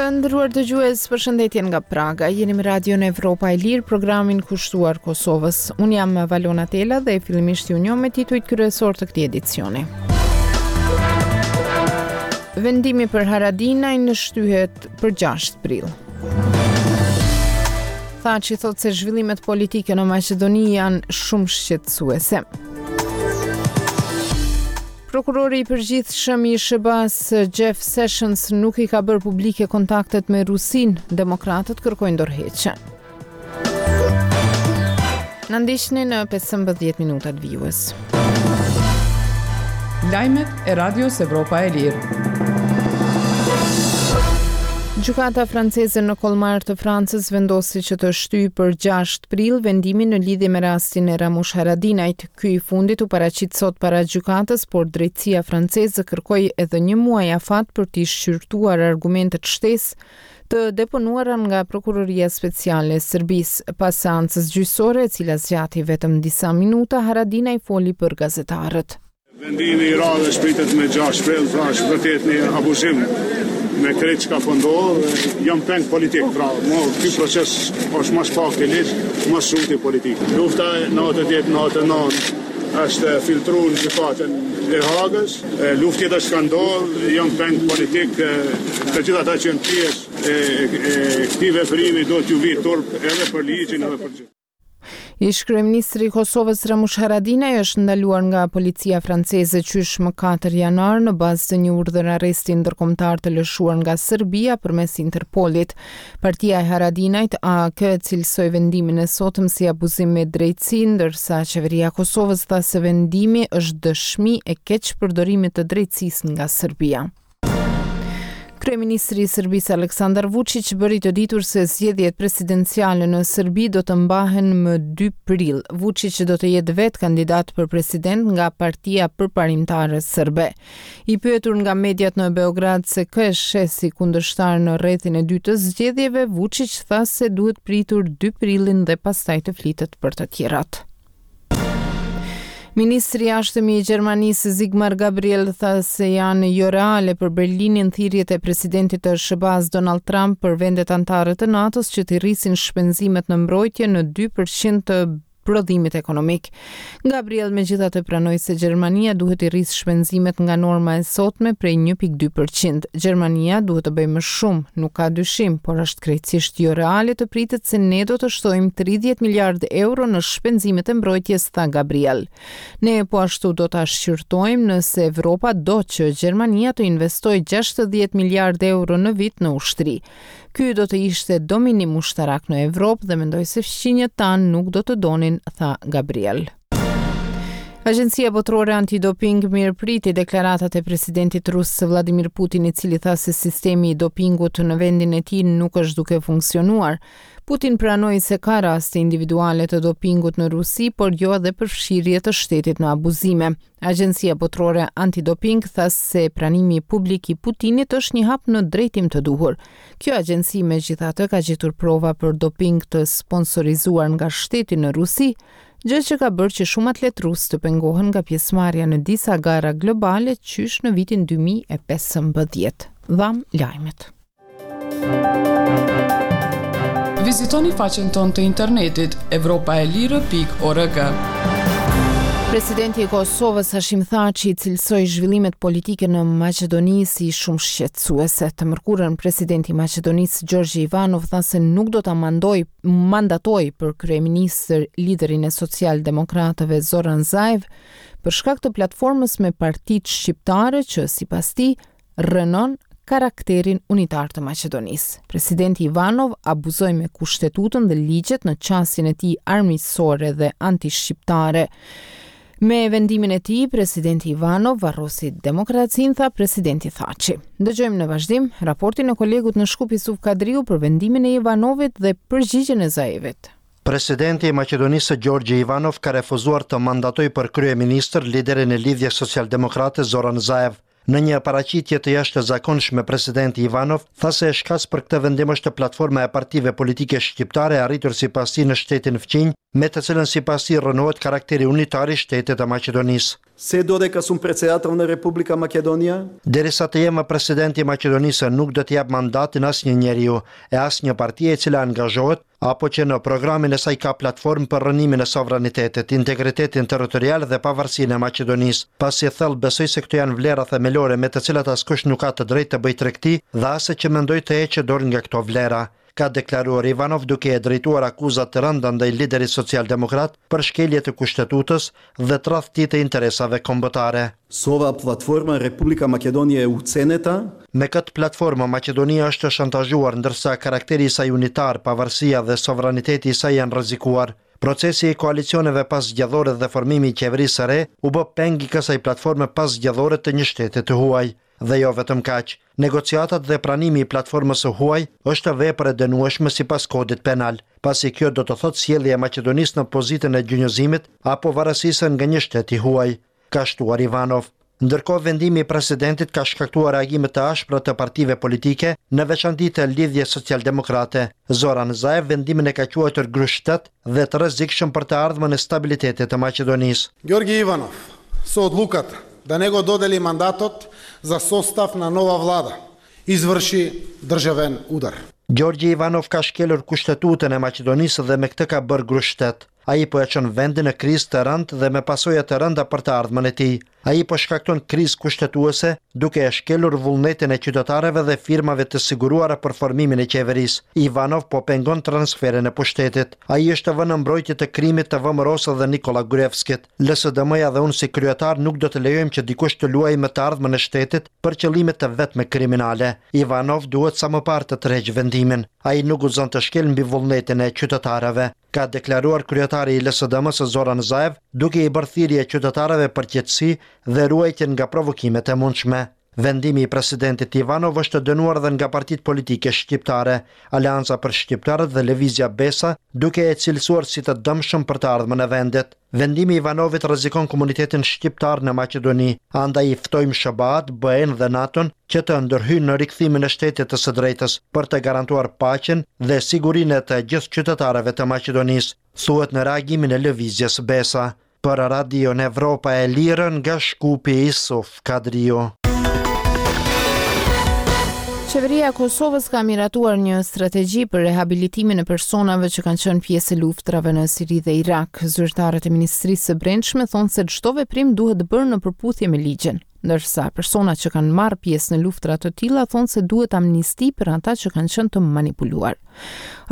Të nderuar dëgjues, përshëndetje nga Praga. Jeni me Radion Evropa e Lirë, programin kushtuar Kosovës. Unë jam Valona Tela dhe fillimisht ju njoh me titujt kryesorë të këtij edicioni. Vendimi për Haradinajn shtyhet për 6 prill. Thaçi thotë se zhvillimet politike në Maqedoni janë shumë shqetësuese. Prokurori i përgjithshëm i SHBA-së Jeff Sessions nuk i ka bërë publike kontaktet me Rusinë, demokratët kërkojnë dorëheqje. Na ndiqni në 15 minutat vijues. Lajmet e Radios Evropa e Lirë. Gjykata franceze në Kolmar të Francës vendosi që të shtyjë për 6 prill vendimin në lidhje me rastin e Ramush Haradinajt. Ky i fundit u paraqit sot para gjykatës, por drejtësia franceze kërkoi edhe një muaj afat për t'i shqyrtuar argumentet shtesë të deponuara nga Prokuroria Speciale e Serbisë. Pas seancës gjyqësore, e cila zgjati vetëm disa minuta, Haradinaj foli për gazetarët. Vendimi i radhës pritet me 6 prill, pra është vërtet një abuzim me krejt çka po ndodh, jam peng politik, pra mo ky proces është më së pakti ligj, më së shumti politik. Lufta e 98 99 është filtru në gjykatën e Hagës, luftë tjetër s'ka ndodh, jam peng politik, të gjithë ata që janë pjesë e, e, e këtij veprimi duhet t'ju vijë turp edhe për ligjin edhe për gjithë. Ish-kryeministri i Kosovës Ramush Haradinaj është ndaluar nga policia franceze qysh më 4 janar në bazë të një urdhër arresti ndërkombëtar të lëshuar nga Serbia përmes Interpolit. Partia e Haradinajt AAK e cilësoi vendimin e sotëm si abuzim me drejtësinë, ndërsa qeveria e Kosovës tha se vendimi është dëshmi e keqpërdorimit të drejtësisë nga Serbia. Kryeministri i Serbisë Aleksandar Vuçiq bëri të ditur se zgjedhjet presidenciale në Serbi do të mbahen më 2 prill. Vuçiq do të jetë vetë kandidat për president nga Partia Përparimtare Serbe. I pyetur nga mediat në Beograd se kë e sheh si kundërshtar në rrethin e dytë të zgjedhjeve, Vuçiq tha se duhet pritur 2 prillin dhe pastaj të flitet për të tjerat. Ministri i Jashtëm i Gjermanisë Sigmar Gabriel tha se janë joreale për Berlinin thirrjet e presidentit të SHBA-s Donald Trump për vendet anëtare të NATO-s që t'i rrisin shpenzimet në mbrojtje në 2% të prodhimit ekonomik. Gabriel megjithatë pranoi se Gjermania duhet t'i rrisë shpenzimet nga norma e sotme prej 1.2%. Gjermania duhet të bëjë më shumë, nuk ka dyshim, por është krejtësisht joreale të pritet se ne do të shtojmë 30 miliardë euro në shpenzimet e mbrojtjes, tha Gabriel. Ne po ashtu do ta shqyrtojmë nëse Evropa do që Gjermania të investojë 60 miliardë euro në vit në ushtri. Ky do të ishte dominim ushtarak në Evropë dhe mendoj se fqinjët tanë nuk do të donin, tha Gabriel. Agjencia Botërore Antidoping mirëpriti deklaratat e presidentit rus Vladimir Putin, i cili tha se sistemi i dopingut në vendin e tij nuk është duke funksionuar. Putin pranoi se ka raste individuale të dopingut në Rusi, por jo edhe përfshirje të shtetit në abuzime. Agjencia Botërore Antidoping tha se pranimi publik i Putinit është një hap në drejtim të duhur. Kjo agjenci megjithatë ka gjetur prova për doping të sponsorizuar nga shteti në Rusi, gjë që ka bërë që shumë atletë rusë të pengohen nga pjesëmarrja në disa gara globale qysh në vitin 2015. Dhamë lajmet. Vizitoni faqen tonë të internetit evropaelire.org. Presidenti i Kosovës Hashim Thaçi cilësoi zhvillimet politike në Maqedoni si shumë shqetësuese. Të mërkurën presidenti i Maqedonisë Gjorgji Ivanov tha se nuk do ta mandoj mandatojë për kryeministër liderin e socialdemokratëve Zoran Zaev për shkak të platformës me partitë shqiptare që, sipas tij, rrënon karakterin unitar të Maqedonisë. Presidenti Ivanov abuzoi me kushtetutën dhe ligjet në qasjen e tij armiqësore dhe antishqiptare. Me vendimin e tij, presidenti Ivanov varrosi demokracinë, tha presidenti Thaçi. Dëgjojmë në vazhdim raportin e kolegut në Shkup Isuf Kadriu për vendimin e Ivanovit dhe përgjigjen e Zaevit. Presidenti i Maqedonisë Gjorgji Ivanov ka refuzuar të mandatojë për kryeministër liderin e Lidhjes Socialdemokrate Zoran Zaev. Në një paraqitje të jashtëzakonshme presidenti Ivanov tha se shkas për këtë vendim është platforma e partive politike shqiptare e arritur sipas tij në shtetin fqinj, me të cilën sipas tij rrënohet karakteri unitar i shtetit të Maqedonisë. Се додека сум председател на Република Македонија, Derisa të jem president i Maqedonisë nuk do t'i jap mandatin asnjë njeriu e asnjë partie e cila angazhohet apo që në programin e saj ka platformë për rrënimin e sovranitetit, integritetin territorial dhe pavarësinë e Maqedonisë, pasi thellë besoj se këto janë vlera themelore me të cilat askush nuk ka të drejtë të bëjë tregti dhe as që mendoj të heqë dorë nga këto vlera, ka deklaruar Ivanov duke e drejtuar akuza të rënda ndaj liderit socialdemokrat për shkelje të kushtetutës dhe tradhti të interesave kombëtare. Со оваа платформа Република Македонија е уценета. Me këtë platformë Maqedonia është shantazhuar ndërsa karakteri i saj unitar, pavarësia dhe sovraniteti i saj janë rrezikuar. Procesi i koalicioneve paszgjedhore dhe formimi i qeverisë së re u bë peng i kësaj platforme paszgjedhore të një shteti të huaj. Dhe jo vetëm kaq. Negociatat dhe pranimi i platformës së huaj është vepër e dënueshme sipas kodit penal, pasi kjo do të thotë sjellje e Maqedonisë në pozitën e gjunjëzimit apo varësisë nga një shtet i huaj, ka shtuar Ivanov. Ndërkohë vendimi i presidentit ka shkaktuar reagime të ashpra të partive politike, në veçanti të Lidhjes Socialdemokrate. Zoran Zaev vendimin e ka quajtur grusht-shtet dhe të rrezikshëm për të ardhmen e stabilitetit të Maqedonisë. Ѓорги Иванов со одлуката да не го додели мандатот за состав на нова влада, изврши државен удар. Gjorgji Ivanov ka shkelur kushtetutën e Maqedonisë dhe me këtë ka bërë grusht-shtet. Ai po e çon vendin në krizë të rëndë dhe me pasoja të rënda për të ardhmen e tij. Ai po shkakton krizë kushtetuese duke e shkelur vullnetin e qytetarëve dhe firmave të siguruara për formimin e qeverisë. Ivanov po pengon transferin e pushtetit. Ai është vënë në mbrojtje të krimit të VMRO-së dhe Nikola Gruevskit. LSDM-ja dhe unë si kryetar nuk do të lejojmë që dikush të luajë me të ardhmen e shtetit për qëllime të vetme kriminale. Ivanov duhet sa më parë të tërheqë vendimin. Ai nuk guxon të shkelë mbi vullnetin e qytetarëve, ka deklaruar kryetari i LSDM-së Zoran Zaev, duke i bërë thirrje qytetarëve për qetësi dhe ruajtje nga provokimet e mundshme. Vendimi i presidentit Ivanov është dënuar dhe nga partitë politike shqiptare, Aleanca për Shqiptarët dhe Lëvizja Besa, duke e cilësuar si të dëmshëm për të ardhmen e vendit. Vendimi i Ivanovit rrezikon komunitetin shqiptar në Maqedoni, andaj i ftojmë SHBA-t, BE-n dhe NATO-n që të ndërhyjnë në rikthimin e shtetit të së drejtës për të garantuar paqen dhe sigurinë e të gjithë qytetarëve të Maqedonisë, thuhet në reagimin e Lëvizjes Besa. Për Radion Evropa e Lirë nga Shkupi Isuf Kadriu. Qeveria e Kosovës ka miratuar një strategji për rehabilitimin e personave që kanë qenë pjesë e luftërave në Siri dhe Irak. Zyrtarët e Ministrisë së Brendshme thonë se çdo veprim duhet bërë në përputhje me ligjin. Ndërsa personat që kanë marrë pjesë në luftëra të tilla thonë se duhet amnisti për ata që kanë qenë të manipuluar.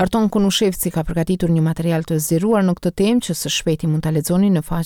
Arton Konushevci ka përgatitur një material të zgjeruar në këtë temë që së shpejti mund ta lexoni në faqen.